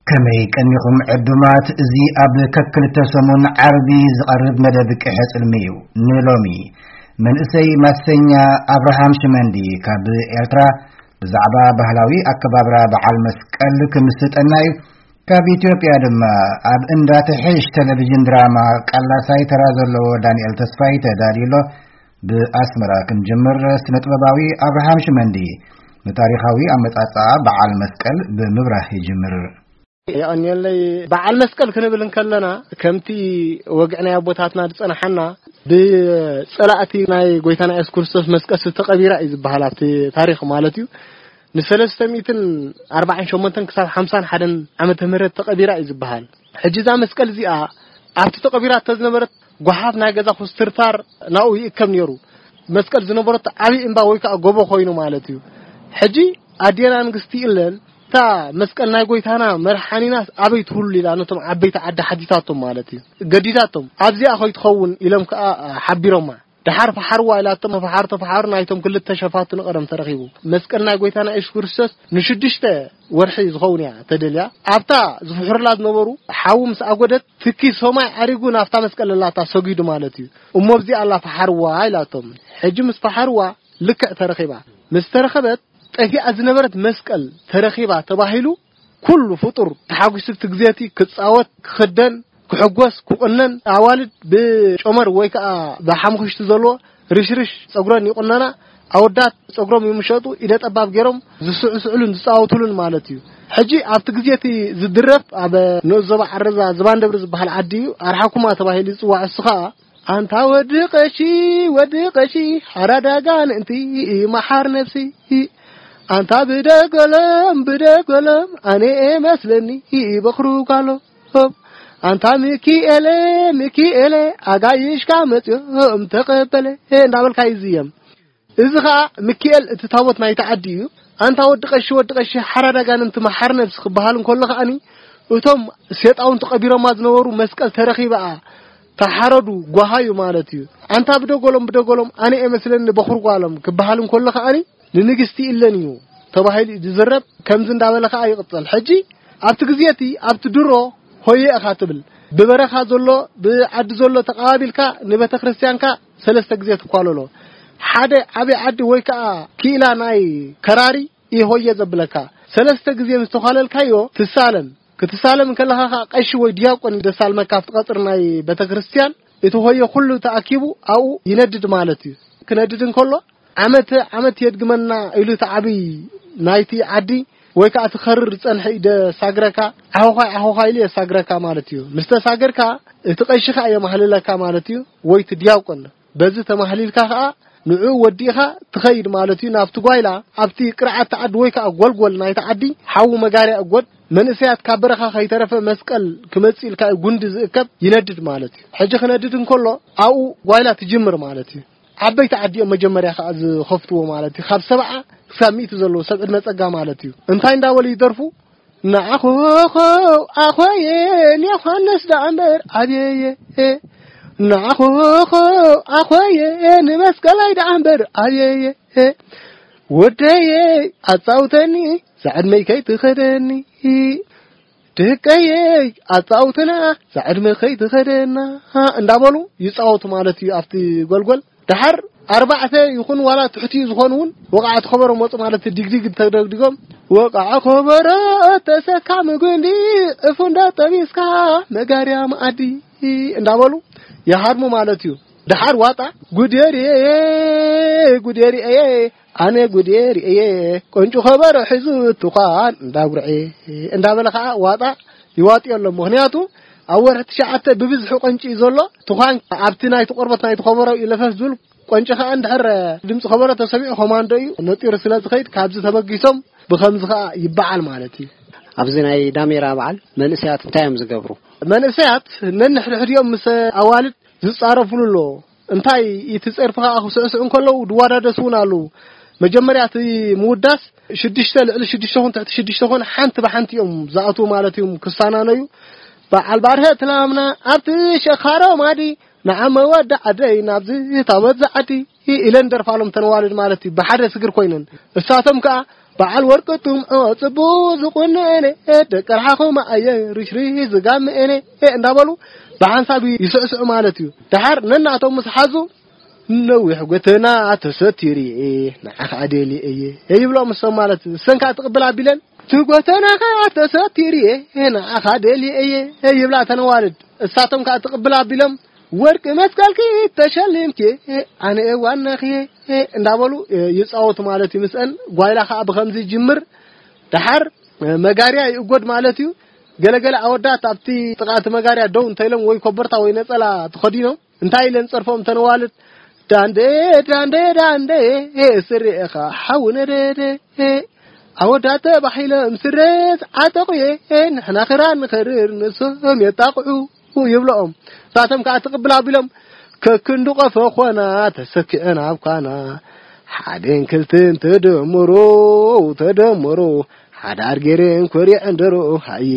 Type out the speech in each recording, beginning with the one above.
ከመይ ቀኒኹም ዕዱማት? እዚ ኣብ ከክልተ ሰሙን ዓርቢ ዝቐርብ መደብ ቅሐ ጽልሚ እዩ። ንሎሚ መንእሰይ ማሰኛ ኣብርሃም ሽመንዲ ካብ ኤርትራ ብዛዕባ ባህላዊ ኣከባብራ በዓል መስቀል ክምስጠና እዩ። ካብ ኢትዮጵያ ድማ ኣብ እንዳ ትሕሽ ቴሌቪዥን ድራማ ቀላሳይ ተራ ዘለዎ ዳንኤል ተስፋይ ተዳልዩ ኣሎ። ብኣስመራ ክንጅምር፣ ስነ ጥበባዊ ኣብርሃም ሽመንዲ ንታሪኻዊ ኣመጻጽኣ በዓል መስቀል ብምብራህ ይጅምር። የቐንየለይ። በዓል መስቀል ክንብል እንከለና፣ ከምቲ ወግዒ ናይ ኣቦታትና ዝጸንሓና፣ ብጸላእቲ ናይ ጎይታና የሱስ ክርስቶስ መስቀል ዝተቐቢራ እዩ ዝበሃል፣ ኣብቲ ታሪኽ ማለት እዩ። ንሰለስተ ሚእትን ኣርባዓን ሸሞንተን ክሳብ ሓምሳን ሓደን ዓመተ ምህረት ተቐቢራ እዩ ዝበሃል። ሕጂ እዛ መስቀል እዚኣ ኣብቲ ተቐቢራ ተዝነበረት፣ ጓሓፍ ናይ ገዛ ኩስትርታር ናብኡ ይእከብ ነይሩ። መስቀል ዝነበረቶ ዓብዪ እምባ ወይ ከዓ ጎቦ ኮይኑ ማለት እዩ። ሕጂ ኣዴና ንግስቲ ኢለን፣ እታ መስቀል ናይ ጎይታና መርሓኒናስ ኣበይ ትህሉ ኢላ ነቶም ዓበይቲ ዓዲ ሓቲታቶም ማለት እዩ። ገዲዳቶም፣ ኣብዚኣ ከይትኸውን ኢሎም ከዓ ሓቢሮማ። ደሓር ፈሓርዋ ኢላቶም፣ ፈሓር ተፈሓሩ፣ ናይቶም ክልተ ሸፋቱ ንቐደም ተረኺቡ። መስቀል ናይ ጎይታና የሱስ ክርስቶስ ንሽዱሽተ ወርሒ ዝኸውን እያ ተደልያ። ኣብታ ዝፍሕሩላ ዝነበሩ ሓዊ ምስ ኣጎደት፣ ትኪ ሰማይ ዓሪጉ ናብታ መስቀል ለላታ ሰጊዱ ማለት እዩ። እሞ ኣብዚኣ ኣላ ፈሓርዋ ኢላቶም። ሕጂ ምስ ፈሓርዋ ልክዕ ተረኺባ። ምስ ተረኸበት፣ ጠፊኣ ዝነበረት መስቀል ተረኺባ ተባሂሉ፣ ኩሉ ፍጡር ተሓጒሱ፣ እቲ ግዜቲ ክጻወት፣ ክኽደን፣ ክሕጎስ፣ ክቑነን፣ ኣዋልድ ብጨመር ወይ ከዓ ብሓሙኽሽቲ ዘለዎ ርሽርሽ ጸጉረን ይቑነና፣ ኣወዳት ጸጉሮም ይምሸጡ፣ ኢደ ጠባብ ገይሮም ዝስዕስዕሉን ዝጻወቱሉን ማለት እዩ። ሕጂ ኣብቲ ግዜቲ ዝድረፍ፣ ኣብ ንኡስ ዞባ ዓረዛ ዝባን ደብሪ ዝበሃል ዓዲ እዩ፣ ኣርሓኩማ ተባሂሉ ይጽዋዕ። እሱ ኸኣ፣ ኣንታ ወዲ ቀሺ፣ ወዲ ቀሺ፣ ሓራዳ ጋንንቲ፣ መሓር ነፍሲ፣ ኣንታ ብደገሎም፣ ብደገሎም፣ ኣነ መስለኒ፣ በኽሩ ጓሎም፣ ኣንታ ሚኪኤለ፣ ሚኪኤለ፣ ኣጋይሽካ መጽዮም ተቐበለ፣ እንዳበልካ ይዝየም። እዚ ኸኣ ሚኪኤል እቲ ታቦት ናይቲ ዓዲ እዩ። ኣንታ ወዲ ቀሺ፣ ወዲ ቀሺ፣ ሓራዳ ጋንንቲ፣ መሓር ነፍሲ ክበሃል እንከሎ ኸኣኒ፣ እቶም ሴጣውንቲ ቀቢሮማ ዝነበሩ፣ መስቀል ተረኺባኣ፣ ተሓረዱ፣ ጓሃዩ ማለት እዩ። ኣንታ ብደጎሎም፣ ብደጎሎም፣ ኣነ እየ መስለኒ በኹር ጓሎም ክበሃል እንከሎ ኸኣኒ፣ ንንግስቲ ኢለን እዩ ተባሂሉ እዩ ዝዝረብ። ከምዚ እንዳበለ ኸኣ ይቕጸል። ሕጂ ኣብቲ ግዜ እቲ፣ ኣብቲ ድሮ ሆየ ኢኻ ትብል። ብበረኻ ዘሎ፣ ብዓዲ ዘሎ ተቐባቢልካ ንቤተ ክርስቲያንካ ሰለስተ ግዜ ትኳለሎ። ሓደ ዓቢ ዓዲ ወይ ከኣ ክኢላ ናይ ከራሪ እዩ ሆየ ዘብለካ። ሰለስተ ግዜ ምስ ተዃለልካዮ ትሳለም። ክትሳለም እንከለኻ ከኣ ቀሺ ወይ ዲያቆን እዩ ዘሳልመካ ኣብቲ ቀጽሪ ናይ ቤተ ክርስቲያን። እቲ ሆየ ኩሉ ተኣኪቡ ኣብኡ ይነድድ ማለት እዩ። ክነድድ እንከሎ ዓመት ዓመት የድግመና ኢሉ እቲ ዓብይ ናይቲ ዓዲ ወይ ከኣ እቲ ከርር ዝጸንሐ እዩ ደሳግረካ፣ ዓኾዃይ ዓኾዃይ ኢሉ የሳግረካ ማለት እዩ። ምስ ተሳገርካ እቲ ቀሺ ከኣ የማህልለካ ማለት እዩ፣ ወይ እቲ ዲያቆን። በዚ ተማህሊልካ ከኣ ንዕኡ ወዲእኻ ትኸይድ ማለት እዩ። ናብቲ ጓይላ ኣብቲ ቅርዓት ዓዲ ወይ ከኣ ጎልጎል ናይቲ ዓዲ ሓዊ መጋርያ እጎድ፣ መንእሰያት ካብ በረኻ ከይተረፈ መስቀል ክመጽእ ኢልካ እዩ ጉንዲ ዝእከብ፣ ይነድድ ማለት እዩ። ሕጂ ክነድድ እንከሎ ኣብኡ ጓይላ ትጅምር ማለት እዩ። ዓበይቲ ዓዲ እዮም መጀመርያ ከኣ ዝኸፍትዎ ማለት እዩ። ካብ ሰብዓ ክሳብ ሚእቲ ዘለዉ ሰብ ዕድመ ጸጋ ማለት እዩ። እንታይ እንዳበሉ ይደርፉ? ንዓኾኾው ኣኾየ ንዮሃንስ ደኣ እምበር ኣብየየ። ንዓኾኾው ኣኾየ ንመስቀላይ ደኣ እምበር ኣብየየ። ወደየ ኣጻውተኒ ዛዕድመይ ከይትኸደኒ። ደቀየይ ኣጻውትና ዛዕድመ ከይትኸደና እንዳበሉ ይጻወቱ ማለት እዩ። ኣብቲ ጎልጎል ደሓር ኣርባዕተ ይኹን ዋላ ትሕቲኡ ዝኾኑ እውን ወቕዓት ከበሮ መጹ ማለት እዩ። ዲግዲግ ተደግዲጎም፣ ወቕዓ ከበሮ ተሰካሚ ጉንዲ፣ ዕፉ እንዳጠቢስካ መጋርያ መኣዲ እንዳበሉ ይሃድሙ ማለት እዩ። ደሓር ዋጣ፣ ጉዴርየ፣ ጉዴርየ፣ ኣነ ጉዴርየ፣ ቆንጩ ከበሮ ሒዙ ትዃን እንዳጉርዐ እንዳበለ ከዓ ዋጣ ይዋጥዮ ኣሎ። ምኽንያቱ ኣብ ወርሒ ትሽዓተ ብብዝሒ ቆንጪ እዩ ዘሎ። ትዃን ኣብቲ ናይቲ ቆርበት ናይቲ ከበሮ እዩ ለፈፍ ዝብል። ቆንጪ ከዓ እንድሕር ድምፂ ከበሮ ተሰሚዑ ኮማንዶ እዩ ነጢሩ ስለ ዝኸይድ፣ ካብዚ ተበጊሶም ብኸምዚ ከዓ ይበዓል ማለት እዩ። ኣብዚ ናይ ዳሜራ በዓል መንእሰያት እንታይ እዮም ዝገብሩ? መንእሰያት ነንሕድሕዲኦም ምስ ኣዋልድ ዝጻረፉሉ ኣሎ። እንታይ እቲ ጸርፊ ከዓ ክስዕስዑ እንከለዉ ዝወዳደሱ እውን ኣለዉ። መጀመርያ እቲ ምውዳስ ሽዱሽተ ልዕሊ ሽዱሽተ ኹን ትሕቲ ሽዱሽተ ኹን ሓንቲ ብሓንቲ እዮም ዝኣትዉ ማለት እዮም ክሳናነዩ። በዓል ባርሀ ትላምና ኣብቲ ሸኻሮ ማዲ ንዓመ ወዲ ዓደይ ናብዚ ታቦት ዝዓዲ ኢለን ደርፋሎም ተነዋልድ ማለት እዩ። ብሓደ ስግር ኮይነን እሳቶም ከዓ በዓል ወርቂ ጥምዖ ጽቡቕ ዝቑነነ፣ ደቂ ርሓኹም ኣየ ርሽርሽ ዝጋምእነ እንዳበሉ ብሓንሳብ ይስዕስዑ ማለት እዩ። ደሓር ነናቶም ምስ ሓዙ፣ "ነዊሕ ጎተና ተሰቲሩ እየ፣ ንዓኻ ደልየ እየ" ይብሎም እሶም ማለት እዩ። እሰን ከዓ ትቕብል ኣቢለን፣ "እቲ ጎተናኻ ተሰቲሩ እየ፣ ንዓኻ ደልየ እየ" ይብላ እተን ኣዋልድ። እሳቶም ከዓ ትቕብል ኣቢሎም፣ "ወርቂ መስቀልኪ ተሸሊምኪ፣ ኣነ ዋናኺ" እንዳበሉ ይጻወቱ ማለት እዩ። ምስአን ጓይላ ከዓ ብኸምዚ ይጅምር። ደሓር መጋርያ ይእጎድ ማለት እዩ። ገለገለ ኣወዳት ኣብቲ ጥቓ እቲ መጋርያ ደው እንተኢሎም ወይ ኮበርታ ወይ ነጸላ ተኸዲኖም እንታይ ኢለን ጸርፎም እተን ኣዋልድ፣ "ዳንዴ ዳንዴ ዳንዴ ስሬኻ ሓው ነደደ፣ ኣወዳት ተባሂሎም ስረ ዝዓጠቑ እየ፣ ንሕና ክራር ንኸርር ንሶም የጣቕዑ" ይብለኦም። እሳቶም ከዓ ትቕብል ኣቢሎም፣ "ከክንዱ ቆፎ ኾና ተሰኪዐን ኣብ ኳና፣ ሓደን ክልትን ተደምሮ ተደምሮ፣ ሓዳር ገይረን ኮሪዐን ደሮ ሃየ"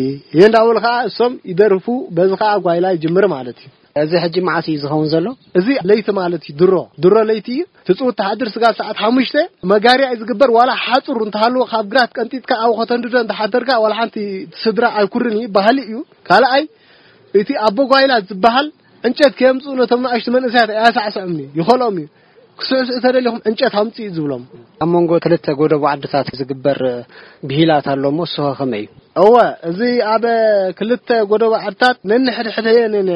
እንዳበሉ ከዓ እሶም ይደርፉ። በዚ ከዓ ጓይላ ይጅምር ማለት እዩ። እዚ ሕጂ መዓስ እዩ ዝኸውን ዘሎ? እዚ ለይቲ ማለት እዩ። ድሮ ድሮ ለይቲ እዩ። ትፅውት ተሓድር ስጋብ ሰዓት ሓሙሽተ መጋርያ እዩ ዝግበር። ዋላ ሓፁር እንተሃለዎ ካብ ግራት ቀንጢጥካ ኣብኡ ከተንድዶ እንተሓደርካ ዋላ ሓንቲ ስድራ ኣይኩርን እዩ፣ ባህሊ እዩ። ካልኣይ እቲ ኣቦ ጓይላ ዝበሃል ዕንጨት ከየምፅኡ ነቶም ንኣሽቱ መንእሰያት ኣያሳዕስዖም እዩ፣ ይኸልኦም እዩ። ክስዕስዑ ተደሊኹም ዕንጨት ኣምፅኡ እዩ ዝብሎም። ኣብ መንጎ ክልተ ጎደቦ ዓድታት ዝግበር ብሂላት ኣሎ እሞ፣ እሱ ኸ ከመይ እዩ? እወ፣ እዚ ኣብ ክልተ ጎደቦ ዓድታት ነንሕድሕደን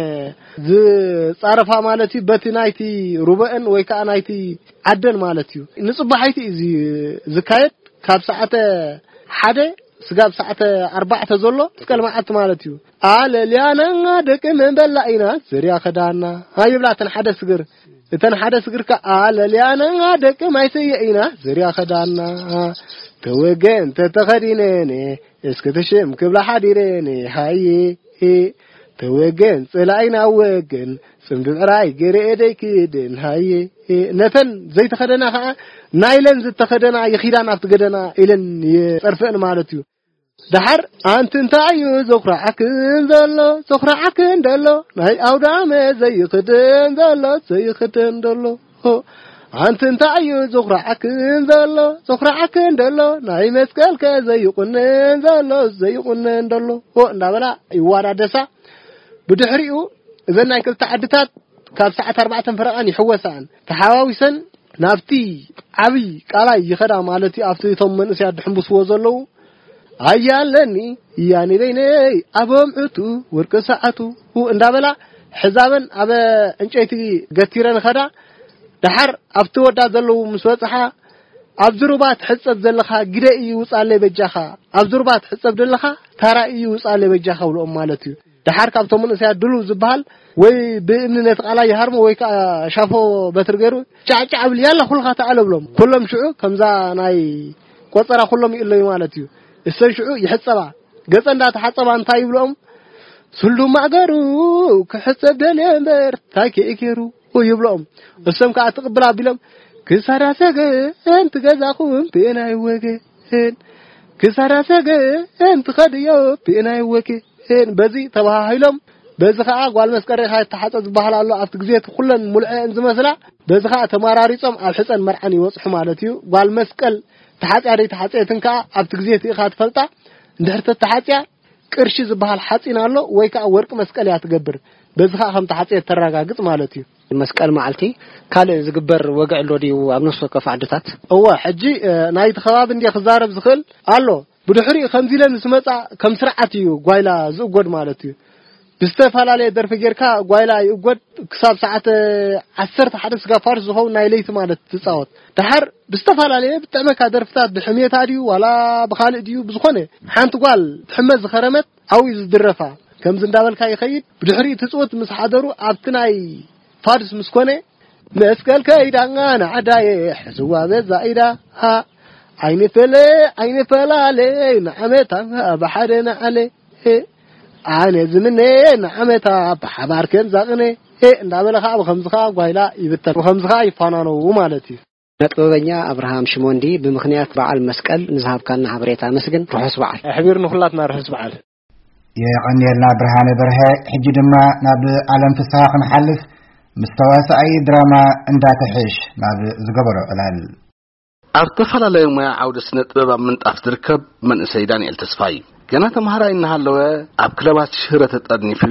ዝጻረፋ ማለት እዩ። በቲ ናይቲ ሩበአን ወይ ከዓ ናይቲ ዓደን ማለት እዩ። ንጽባሒቲ እዩ እዚ ዝካየድ። ካብ ሰዓተ ሓደ ስጋብ ሰዓተ ኣርባዕተ ዘሎ መስቀል መዓልቲ ማለት እዩ። ኣለልያና ደቂ መንበላ ኢና ዝርያ ኸዳና ይብላ እተን ሓደ ስግር። እተን ሓደ ስግር ከኣ ኣለልያና ደቂ ማይ ስየ ኢና ዝርያ ኸዳና። ተወገን ተተኸዲነን እስኪ ትሽም ክብላ ሓዲረን ሃየ። ተወገን ጽላኢና ወገን ጽምዲ ብዕራይ ገይረ ደይክድን ሃየ። ነተን ዘይተኸደና ከኣ ናይለን ዝተኸደና ይኺዳን ኣብቲ ገደና ኢለን የጸርፍአን ማለት እዩ። ደሓር ኣንቲ እንታይ እዩ ዘኹርዓክን ዘሎ፣ ዘኹርዓክን ዘሎ ናይ ኣውዳመ ዘይኽደን ዘሎ፣ ዘይኽደን ዘሎ? ኣንቲ እንታይ እዩ ዘኹርዓክን ዘሎ፣ ዘኹርዓክን ዘሎ ናይ መስቀልከ ዘይቑነን ዘሎ፣ ዘይቑነን ዘሎ? እንዳበላ ይዋዳደሳ። ብድሕሪኡ እዘን ናይ ክልተ ዓድታት ካብ ሰዓት ኣርባዕተ ፈረቓን ይሕወሳን ተሓዋዊሰን ናብቲ ዓብይ ቃላይ ይኸዳ ማለት እዩ። ኣብቲ እቶም መንእሰያት ድሕንብስዎ ዘለዉ ኣያለኒ እያኒ በይነይ ኣቦም ዕቱ ወርቂ ሰዓቱ እንዳበላ ሕዛበን ኣብ ዕንጨይቲ ገቲረን ኸዳ። ደሓር ኣብቲ ወዳ ዘለዉ ምስ በጽሓ፣ "ኣብዚ ሩባ ትሕጸብ ዘለኻ ግደ እዩ ውጻለይ በጃኻ፣ ኣብዚ ሩባ ትሕጸብ ዘለኻ ታራ እዩ ውጻለይ በጃኻ" ብልኦም ማለት እዩ። ደሓር ካብቶም መንእሰያት ድሉው ዝበሃል ወይ ብእምኒ ነቲ ቃላይ ይሃርሞ ወይ ከዓ ሻፎ በትሪ ገይሩ ጫዕጫዕ ብል፣ "ያላ ኩልኻ ተኣለ" ብሎም። ኩሎም ሽዑ ከምዛ ናይ ቆጸራ ኩሎም ይእለዩ ማለት እዩ። እሰን ሽዑ ይሕጸባ። ገጸ እንዳተሓጸባ እንታይ ይብልኦም? "ስሉም ማእገሩ ክሕጸብ ደልየ እምበር ታይ ከይ ገይሩ" ይብልኦም። እሶም ከዓ ትቕብል ኣቢሎም፣ "ክሳዳ ሰገን ትገዛኹም ብእናይ ወገን፣ ክሳዳ ሰገን ትኸድዮ ብእናይ ወገን" በዚ ተባሃሂሎም። በዚ ከዓ ጓል መስቀል ሬኻ ይተሓጸ ዝበሃል ኣሎ። ኣብቲ ግዜ እቲ ኩለን ሙልዐ እን ዝመስላ፣ በዚ ከዓ ተመራሪጾም ኣብ ሕጸን መርዓን ይበጽሑ ማለት እዩ። ጓል መስቀል ተሓጽያ ደይ ተሓጽየትን ከዓ ኣብቲ ግዜ እቲ ኢኻ ትፈልጣ። እንድሕር ተተሓጽያ ቅርሺ ዝበሃል ሓጺን ኣሎ ወይ ከዓ ወርቂ መስቀል እያ ትገብር። በዚ ከዓ ከም ተሓጽየት ተረጋግጽ ማለት እዩ። መስቀል መዓልቲ ካልእ ዝግበር ወግዒ ኣሎ ድዩ ኣብ ነፍሲ ወከፍ ዓድታት? እወ፣ ሕጂ፣ እ፣ ናይቲ ከባቢ እንድየ ክዛረብ ዝኽእል ኣሎ። ብድሕሪኡ ከምዚ ኢለን ምስ መጻ ከም ስርዓት እዩ ጓይላ ዝእጎድ ማለት እዩ። ብዝተፈላለየ ደርፊ ጌርካ ጓይላ ይእጎድ። ክሳብ ሰዓት ዓሰርተ ሓደ ስጋ ፋርስ ዝኸውን ናይ ለይቲ ማለት ትጻወት። ደሓር ብዝተፈላለየ ብጥዕመካ ደርፍታት ብሕሜታ ድዩ ዋላ ብኻልእ ድዩ ብዝኾነ ሓንቲ ጓል ትሕመ ዝኸረመት ኣብኡ እዩ ዝድረፋ። ከምዚ እንዳበልካ ይኸይድ። ብድሕሪኡ ትጽውት ምስ ሓደሩ ኣብቲ ናይ ፋድስ ምስ ኮነ፣ መስቀል ከይዳ ንዓዳየ ሕዝዋ በዛ ኢዳ፣ ኣይንፈለ ኣይንፈላለ ንዓመታ ብሓደ ንዓለ፣ ኣነ ዝምነ ንዓመታ ብሓባር ከም ዛቕነ እንዳበለ ከዓ ብኸምዚ ከዓ ጓይላ ይብተን፣ ብኸምዚ ከዓ ይፋናነዉ ማለት እዩ። ነጥበበኛ ኣብርሃም ሽሞንዲ፣ ብምኽንያት በዓል መስቀል ንዝሃብካና ሓበሬታ ኣመስግን። ርሑስ በዓል። ኣሕቢር ንኹላትና ርሑስ በዓል። የቐንየልና ብርሃነ በርሀ። ሕጂ ድማ ናብ ኣለም ፍስሃ ክንሓልፍ፣ ምስ ተዋሳኣይ ድራማ እንዳተሕሽ ናብ ዝገበሮ ዕላል። ኣብ ዝተፈላለየ ሞያ ዓውደ ስነ ጥበብ ኣብ ምንጣፍ ዝርከብ መንእሰይ ዳንኤል ተስፋይ፣ ገና ተምሃራይ እናሃለወ ኣብ ክለባት ሽረ ተጠርኒፉ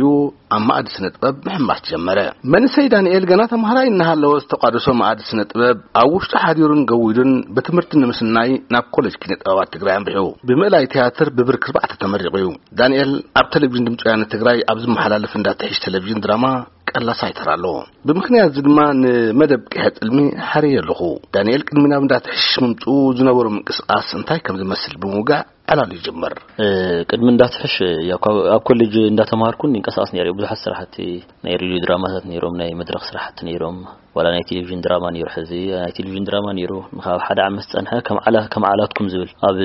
ኣብ ማእዲ ስነ ጥበብ ምሕማስ ጀመረ። መንእሰይ ዳንኤል ገና ተምሃራይ እናሃለወ ዝተቋደሶ ማእዲ ስነ ጥበብ ኣብ ውሽጡ ሓዲሩን ገዊዱን ብትምህርቲ ንምስናይ ናብ ኮሌጅ ኪነ ጥበባት ትግራይ ኣምሪሑ ብምእላይ ቲያትር ብብርኪ ኣርባዕተ ተመሪቑ እዩ። ዳንኤል ኣብ ቴሌቪዥን ድምፂ ወያነ ትግራይ ኣብ ዝመሓላለፍ እንዳትሕሽ ቴሌቪዥን ድራማ ቀላሳይ ተራ ኣለዎ። ብምኽንያት እዚ ድማ ንመደብ ቂሐ ጽልሚ ሓርየ ኣለኹ። ዳንኤል ቅድሚ ናብ እንዳትሕሽ ምምፅኡ ዝነበሮ ምንቅስቃስ እንታይ ከም ዝመስል ብምውጋዕ ዕላሉ ይጅምር። እ፣ ቅድሚ እንዳትሕሽ፣ ያው፣ ካብ፣ ኣብ ኮሌጅ እንዳተማሃርኩን ይንቀሳቀስ ነይረ። ብዙሓት ስራሕቲ ናይ ሬድዮ ድራማታት ነይሮም፣ ናይ መድረኽ ስራሕቲ ነይሮም፣ ዋላ ናይ ቴሌቪዥን ድራማ ነይሩ። ሕዚ ናይ ቴሌቪዥን ድራማ ነይሩ፣ ካብ ሓደ ዓመት ዝጸንሐ ከም ዓላ-፣ ከም ዓላትኩም ዝብል ኣብ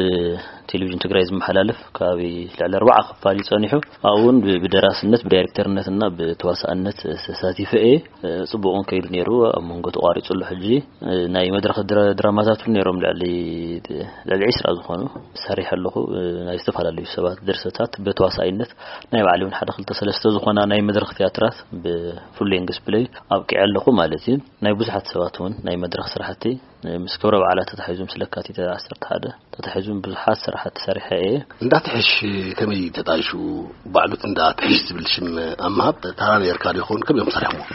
ቴሌቪዥን ትግራይ ዝመሓላለፍ ከባቢ ልዕሊ ኣርባዓ ክፋል እዩ ጸኒሑ። ኣብኡ እውን ብ-፣ ብደራስነት፣ ብዳይሬክተርነትና ብተዋሳእነት ተሳቲፈ እየ። እ፣ ጽቡቕ እውን ከይዱ ነይሩ። ኣብ መንጎ ተቋሪጹ ኣሎ ሕጂ። እ፣ ናይ መድረኽ ድራ-፣ ድራማታት እውን ነይሮም፣ ልዕሊ፣ ልዕሊ ዒስራ ዝኾኑ ሰሪሐ ኣለኹ። እ፣ ናይ ዝተፈላለዩ ሰባት ድርሰታት ብተዋሳኢነት ናይ ባዕለይ እውን ሓደ ክልተ ሰለስተ ዝኾና ናይ መድረኽ ቲያትራት ብፉል ሌንግስ ፕሌይ ኣብቂዐ ኣለኹ ማለት እዩ። ናይ ብዙሓት ሰባት እውን ናይ መድረኽ ስራሕቲ ምስ ክብረ በዓላት ተታሒዙ፣ ምስ ለካቲት ዓሰርተ ሓደ ተታሒዙ ብዙሓት ስራሓት ሰሪሐ እየ። እንዳትሕሽ ከመይ ተጣይሹ? ባዕሉት እንዳትሕሽ ዝብል ሽም ኣብ ምሃብ ታራ ነርካ ዶ ይኸውን? ከመይ እዮም ሰሪሖምዎ?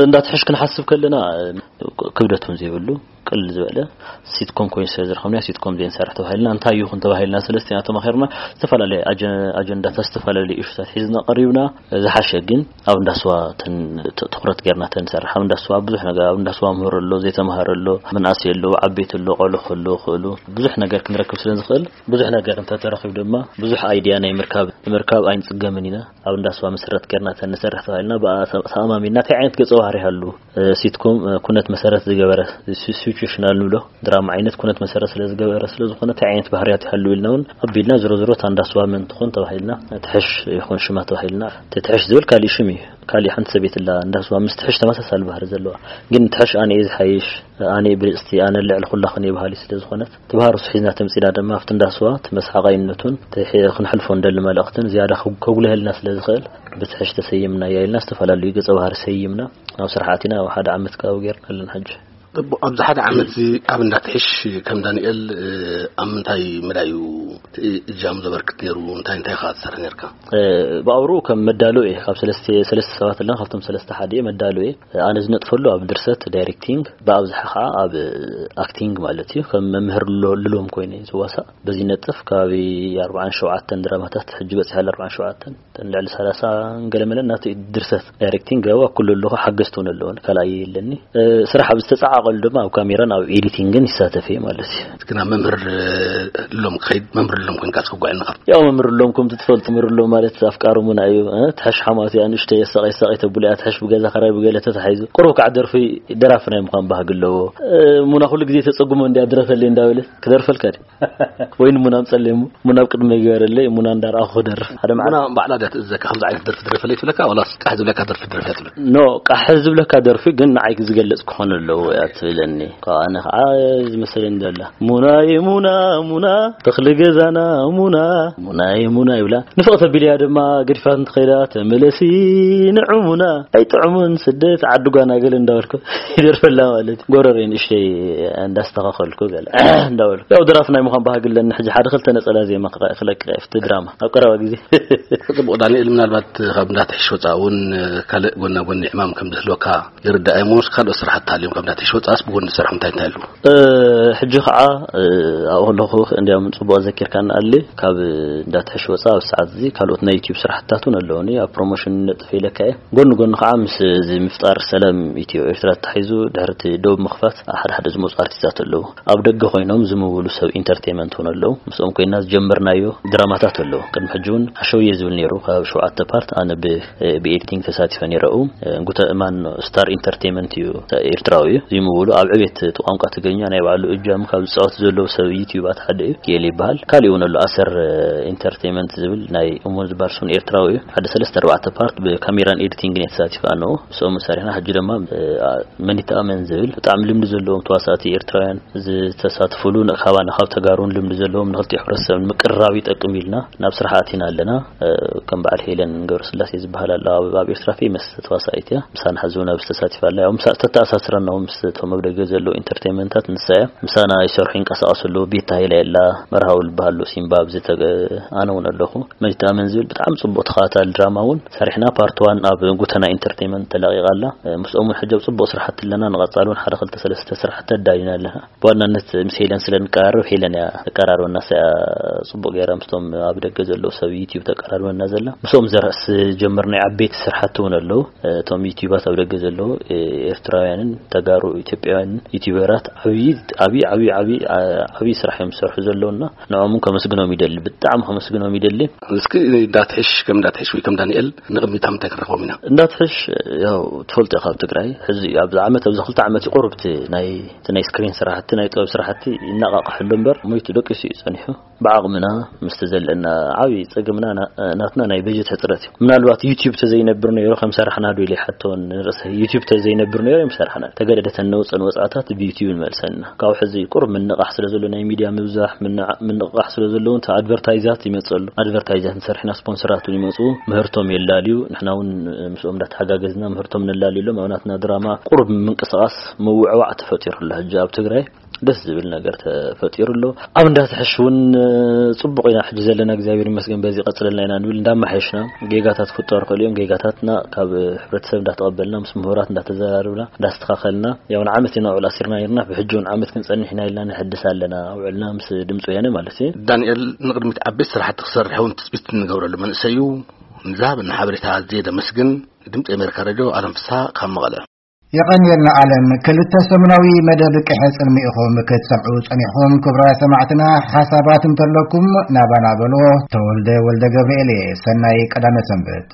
እንዳትሕሽ ክንሓስብ ከለና ክብደት እውን ዘይብሉ ቅልል ዝበለ ሲትኮም ኮይኑ ስለ ዝረኸብና፣ ሲትኮም ዘይንሰርሕ ተባሂልና፣ እንታይ ይኹን ተባሂልና፣ ሰለስቲና ተማኺርና፣ ዝተፈላለየ ኣጀ-፣ ኣጀንዳታት፣ ዝተፈላለየ ኢሹታት ሒዝና ቀሪብና። ዝሓሸ ግን ኣብ እንዳስዋ ተን-፣ ት-፣ ትኹረት ጌርና ተንሰርሕ። ኣብ እንዳስዋ ብዙሕ ነገር፣ ኣብ እንዳስዋ ምህሮ ኣሎ፣ ዘይተማሃረ ኣሎ፣ መናእሰይ ኣሎ፣ ዓበይቲ ኣሎ፣ ቆልዑ ኣሎ፣ ክእሉ ብዙሕ ነገር ክንረክብ ስለ ንኽእል፣ ብዙሕ ነገር እንተተረኺቡ ድማ ብዙሕ ኣይድያ ናይ ምርካብ፣ ምርካብ ኣይንጽገምን ኢና። ኣብ እንዳስዋ መሰረት ጌርና ተንሰርሕ ተባሂልና፣ ብኣ ተ-፣ ተኣማሚንና እንታይ ዓይነት ገጸ ባህሪ ይሃሉ? እ፣ ሲትኮም፣ እ፣ ኩነት መሰረት ዝገበረ፣ ሲ-፣ ሲቹዌሽናል ንብሎ ድራማ ዓይነት ኩነት መሰረት ስለ ዝገበረ ስለ ዝኾነ፣ እንታይ ዓይነት ባህርያት ይሃሉ ኢልና እውን ኣቢልና፣ ዝሮ ዝሮ እታ እንዳስዋ መን ትኾን ተባሂልና፣ ትሕሽ ይኾን ሽማ ተባሂልና፣ እቲ ትሕሽ ዝብል ካሊእ ሽም እዩ። ካሊእ ሓንቲ ሰበይቲ ኣላ፣ እንዳስዋ ምስ ትሕሽ ተመሳሳሊ ባህሪ ዘለዋ። ግን ትሕሽ ኣነ እየ ዝሓይሽ፣ ኣነ እየ ብልጽቲ፣ ኣነ ልዕሊ ኩላኽን እየ በሃሊ ስለ ዝኾነት፣ እቲ ባህሪ እሱ ሒዝና ተምጺና ድማ ኣብቲ እንዳስዋ እቲ መስሓቓይነቱን እቲ ሒ-፣ ክንሕልፎ እንደሊ መልእኽትን ዝያዳ ከጉ-፣ ከጉልሀልና ስለ ዝኽእል፣ ብትሕሽ ተሰይምና እያ ኢልና ዝተፈላለዩ ገጸ ባህሪ ሰይምና። ኣብ ስራሕ ኣቲና ኣብ ሓደ ዓመት ካብ ጌርና ኣለና ሕጂ። ጽቡቕ፣ ኣብዚ ሓደ ዓመት እዚ ኣብ እንዳትሕሽ ከም ዳንኤል፣ እ፣ ኣብ ምንታይ መዳይ እዩ እቲ እጃም ዘበርክት ነይሩ? እንታይ እንታይ ኢኻ ትሰርሕ ነርካ? እ፣ ብኣውርኡ ከም መዳሎ እየ። ካብ ሰለስተ፣ ሰለስተ ሰባት ኣለና፣ ካብቶም ሰለስተ ሓደ እየ፣ መዳሎ እየ። ኣነ ዝነጥፈሉ ኣብ ድርሰት፣ ዳይሬክቲንግ፣ ብኣብዝሓ ከዓ ኣብ ኣክቲንግ ማለት እዩ። ከም መምህር ሎ-፣ ልሎም ኮይነ እየ ዝዋሳእ። በዚ ነጥፍ ከባቢ ኣርባዓን ሸውዓተን ድራማታት ሕጂ በፂሐ፣ ኣርባዓን ሸውዓተን። እተን ልዕሊ ሰላሳ ገለመለ ናተይ ድርሰት፣ ዳይሬክቲንግ፣ ገባ ኩሉ ኣለኹ፣ ሓገዝቲ እውን ኣለዉን፣ ካልኣይ የለኒ። እ፣ ስራሕ ኣብ ዝተጸዓቐሉ ድማ ኣብ ካሜራን ኣብ ኤዲቲንግን ይሳተፍ እየ ማለት እዩ። ግን ኣብ መምህር፣ እ፣ ሎም ክኸይድ፣ መምህር ሎም ኮንካ ትክጓዕ ኣለኻ? ያው መምህር ሎም፣ ከምቲ ትፈልጡ፣ መምህር ሎም ማለት ኣፍቃሪ ሙና እዩ። እ፣ ትሕሽ ሓማት እያ፣ ንእሽተይ የሳቐይ፣ የሳቐይ ተብሎ እያ፣ ትሕሽ ብገዛ ከራይ ብገለ ተታሒዙ። ቁሩብ ከዓ ደርፊ ደራፊ ናይ ምዃን ባህጊ ኣለዎ። እ፣ ሙና ኩሉ ግዜ ተጸጉሞ እንድያ፣ ድረፈለይ እንዳበለ ክደርፈልካ ድዩ? ወይ ንሙና ኣምጸለይ እሞ፣ ሙና ኣብ ቅድመ ይግበረለይ፣ ሙና እንዳረኣኹ ክደርፍ። ሓደ መዓልቲ ሙና ባዕላ ድያ ትእዘካ፣ ከምዚ ዓይነት ደርፊ ድረፈለይ ትብለካ፣ ዋላስ ቃሕ ዝብለካ ደርፊ ድረፍ እያ ትብለካ? ኖ፣ ቃሕ ዝብለካ ደርፊ ግን ንዓይ ዝገልጽ ክኾን ኣለዎ እያ ትብለኒ። ካብ ኣነ ከዓ ዝመሰለኒ ዘላ፣ "ሙናየ ሙና፣ ሙና፣ ተኽሊ ገዛና ሙና፣ ሙናየ ሙና" ይብላ። ንፍቕቲ ኣቢልያ ድማ ገዲፋት እንተኸይዳ፣ "ተመለሲ ንዑ ሙና፣ ኣይጥዕሙን ስደት ዓዲ ጓና" ገለ እንዳበልኩ ይደርፈላ ማለት እዩ። ጎረረይ ንእሽተይ እንዳስተኻኸልኩ ገለ እንዳበልኩ። ያው ደራፊ ናይ ምዃን ባህጊ ኣለኒ። ሕጂ ሓደ ክልተ ነጸላ ዜማ ክቐ-፣ ክለቅቕ እየ ኣብቲ ድራማ ኣብ ቀረባ ግዜ። ጽቡቕ ዳንኤል፣ ምናልባት ካብ እንዳትሕሽ ወጻእ እውን ካልእ ጎና ጎኒ ዕማም ከም ዝህልወካ ይርዳእ እየ። እሞስ ካልኦት ስራሓት ተሃልዮም ካብ እንዳትሕሽ ወጻእስ ብጎኒ ዝሰርሖም እንታይ እንታይ ኣለዉ? እ፣ ሕጂ ኸዓ፣ እ፣ ኣብኡ ከለኹ እንዲያውም ጽቡቕ ዘኪርካኒ ኣሊ፣ ካብ እንዳትሕሽ ወጻእ ኣብ ሰዓት እዚ ካልኦት ናይ ዩቲዩብ ስራሕትታት እውን ኣለዉኒ። ኣብ ፕሮሞሽን ነጥፍ ኢለካ እየ። ጎኒ ጎኒ ኸዓ ምስ እዚ ምፍጣር ሰላም ኢትዮ ኤርትራ ተታሒዙ ድሕሪ እቲ ዶብ ምኽፋት ሓደ ሓደ ዝመጹ ኣርቲስታት ኣለዉ። ኣብ ደገ ኮይኖም ዝምውሉ ሰብ ኢንተርቴይመንት እውን ኣለዉ። ምስኦም ኮይና ዝጀመርናዮ ድራማታት ኣለዉ። ቅድሚ ሕጂ እውን ሓሸውየ ዝብል ነይሩ፣ ካብ ሸውዓተ ፓርት ኣነ ብ-፣ ብኤዲቲንግ ተሳቲፈ ነይረ። ኣብኡ እንጉተ እማን ስታር ኢንተርቴይመንት እዩ፣ ኤርትራዊ እዩ። ዝምውሉ ኣብ ዕቤት እቲ ቋንቋ ትግርኛ ናይ ባዕሉ እጃም ካብ ዝጻወቱ ዘለዉ ሰብ ዩቲዩባት ሓደ እዩ። ኪኤል ይበሃል። ካልእ እውን ኣሎ፣ ኣሰር ኢንተርቴንመንት ዝብል ናይ እሙን ዝበሃል ስውን ኤርትራዊ እዩ። ሓደ ሰለስተ ኣርባዕተ ፓርት ብካሜራን ኤዲቲንግን እየ ተሳቲፈ ኣነኡ። ምስኦም ሰሪሕና። ሕጂ ድማ መኒት ኣመን ዝብል ብጣዕሚ ልምዲ ዘለዎም ተዋሳእቲ ኤርትራውያን ዝተሳትፉሉ፣ ካባና ካብ ተጋሩን ልምዲ ዘለዎም ንክልቲኡ ሕብረተሰብ ንምቅርራብ ይጠቅም ኢልና ናብ ስራሕ ኣቲና ኣለና። ከም በዓል ሄለን ገብረስላሴ ዝበሃል ኣሎ፣ ኣብ ኤርትራ ፌመስ ተዋሳኢት እያ። ምሳና ሕዚ እውን ኣብዚ ተሳቲፋ ኣላ። ያው ምሳ ተተኣሳስረና እውን ምስ እቶም ኣብ ደገ ዘለዉ ኢንተርቴንመንታት ንሳ እያ። ምሳና ይሰርሑ ይንቀሳቐሱ ኣለዉ። ቤታ ሃይለ ኣላ፣ መርሃዊ ልበሃሉ፣ ሲምባ ኣብዚ ተገ-፣ ኣነ እውን ኣለኹ። መኒት ኣመን ዝብል ብጣዕሚ ጽቡቕ ተኸታታሊ ድራማ እውን ሰሪሕና። ፓርት ዋን ኣብ ጉተና ኢንተርቴንመንት ተለቒቓ ኣላ። ምስኦም እውን ሕጂ ኣብ ጽቡቕ ስራሕቲ ኣለና። ንቐጻሊ እውን ሓደ ክልተ ሰለስተ ስራሕቲ ኣዳሊና ኣለና። ብዋናነት ምስ ሄለን ስለ ንቀራረብ፣ ሄለን እያ ተቀራርበና። እሳ እያ ጽቡቕ ገይራ ምስቶም ኣብ ደገ ዘለዉ ሰብ ዩቲዩብ ተቀራርበና ዘላ። ምስኦም ዘርእ ዝጀመርናዮ ዓበይቲ ስራሕቲ እውን ኣለዉ። እቶም ዩቲዩባት ኣብ ደገ ዘለዉ ኤርትራውያንን ተጋሩ ኢትዮጵያውያንን ዩቲዩበራት ዓብዪ ዓብዪ ዓብዪ ዓብዪ ዓብዪ ስራሕ እዮም ዝሰርሑ ዘለዉና። ንዕኦም እውን ከመስግኖም ይደሊ፣ ብጣዕሚ ከመስግኖም ይደሊ። እስኪ እንዳትሕሽ፣ ከም እንዳትሕሽ ወይ ከም ዳንኤል ንቕድሚት ኣብ ምንታይ ክንረኽቦም ኢና? እንዳትሕሽ፣ ያው ትፈልጦ ኢኻ፣ ኣብ ትግራይ ሕዚ ኣብዚ ዓመት፣ ኣብዚ ክልተ ዓመት እዩ ቁሩብ እቲ ናይ፣ እቲ ናይ ስክሪን ስራሕቲ፣ ናይ ጥበብ ስራሕቲ ይነቓቕሐሉ እምበር ሞይቱ ደቂሱ እዩ ጸኒሑ። ብዓቕምና ምስቲ ዘለና ዓብዪ ጸገምና ና-፣ ናትና ናይ በጀት ሕጽረት እዩ። ምናልባት ዩቲዩብ ተዘይነብር ነይሩ ከም ሰራሕና ዶ ኢለ ይሓቶ ንርእሰይ። ዩቲዩብ ተዘይነብር ነይሩ እዮም ሰራሕና። ተገደደ ተነውፀን ወጻእታት ብዩቲዩብ ንመልሰና። ካብ ሕዚ ቁሩብ ምንቓሕ ስለ ዘሎ፣ ናይ ሚድያ ምብዛሕ፣ ምንዓ-፣ ምንቕቓሕ ስለ ዘለዉ፣ እቲ ኣድቨርታይዛት ይመጽእ ኣሎ። ኣድቨርታይዛት ንሰርሕና፣ ስፖንሰራት እውን ይመጽኡ፣ ምህርቶም የላልዩ። ንሕና እውን ምስኦም እንዳተሓጋገዝና ምህርቶም ነላልየሎም። ኣብ ናትና ድራማ ቁሩብ ምንቅስቓስ ምውዕዋዕ ተፈጢሩ ኣሎ። ሕጂ ኣብ ትግራይ ደስ ዝብል ነገር ተፈጢሩ ኣሎ። ኣብ እንዳትሕሽ እውን ጽቡቕ ኢና ሕጂ ዘለና፣ እግዚኣብሔር ይመስገን፣ በዚ ቀጽለልና ኢና ንብል። እንዳማሓየሽና፣ ጌጋታት ክፍጠሩ ይኽእሉ እዮም። ጌጋታትና ካብ ሕብረተሰብ እንዳተቐበልና፣ ምስ ምሁራት እንዳተዘራርብና፣ እንዳስተኻኸልና፣ ያው ንዓመት ኢና ውዕል ኣሲርና ነርና፣ ብሕጂ እውን ዓመት ክንጸንሕ ኢና ኢልና ንሕድስ ኣለና። ውዕልና ምስ ድምፂ ወያነ ማለት እዩ። ዳንኤል ንቕድሚት ዓበይቲ ስራሕቲ ክሰርሕ እውን ትፅቢት እንገብረሉ መንእሰይ እዩ። ንዝሃበና ሓበሬታ ኣዝየ ደመስግን። ድምፂ ኣሜሪካ ሬድዮ፣ ኣለም ፍስሃ ካብ መቐለ። የቐንየልና ኣለም። ክልተ ሰሙናዊ መደብ ቅሐ ጽልሚ ኢኹም ክትሰምዑ ጸኒሕኹም። ክቡራት ሰማዕትና፣ ሓሳባት እንተለኩም ናባና በሎ። ተወልደ ወልደ ገብርኤል እየ። ሰናይ ቀዳመ ሰንበት።